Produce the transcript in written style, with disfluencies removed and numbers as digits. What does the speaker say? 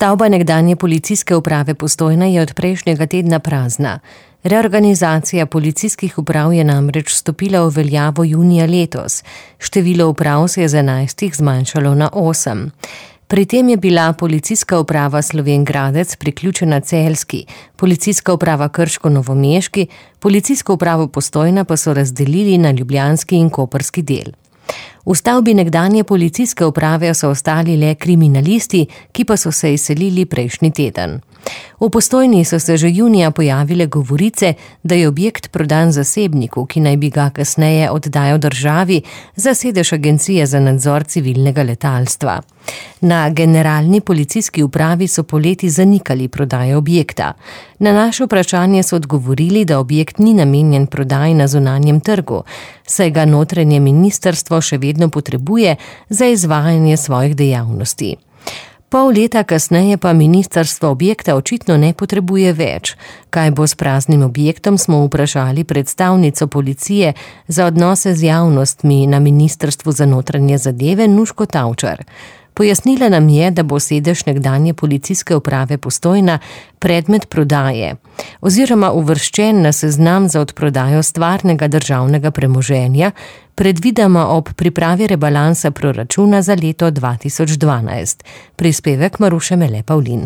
Stavba nekdanje policijske uprave Postojna je od prejšnjega tedna prazna. Reorganizacija policijskih uprav je namreč stopila v veljavo junija letos. Število uprav se je z 11 zmanjšalo na 8. Pri tem je bila policijska uprava Slovenj Gradec priključena celjski, policijska uprava Krško novomeški, policijsko upravo Postojna pa so razdelili na ljubljanski in koprski del. V stavbi nekdanje policijske uprave so ostali le kriminalisti, ki pa so se izselili prejšnji teden. V Postojni so se že junija pojavile govorice, da je objekt prodan zasebniku, ki naj bi ga kasneje oddajal državi za sedež Agencije za nadzor civilnega letalstva. Na generalni policijski upravi so poleti zanikali prodajo objekta. Na naše vprašanje so odgovorili, da objekt ni namenjen prodaji na zunanjem trgu, saj ga notranje ministrstvo še vedno potrebuje za izvajanje svojih dejavnosti. Pol leta kasneje pa ministrstvo objekta očitno ne potrebuje več. Kaj bo s praznim objektom, smo vprašali predstavnico policije za odnose z javnostmi na Ministrstvu za notranje zadeve Nuško Tavčar. Pojasnila nam je, da bo sedež nekdanje policijske uprave Postojna predmet prodaje oziroma uvrščen na seznam za odprodajo stvarnega državnega premoženja, predvidoma ob pripravi rebalansa proračuna za leto 2012. Prispevek Maruše Mele Pavlin.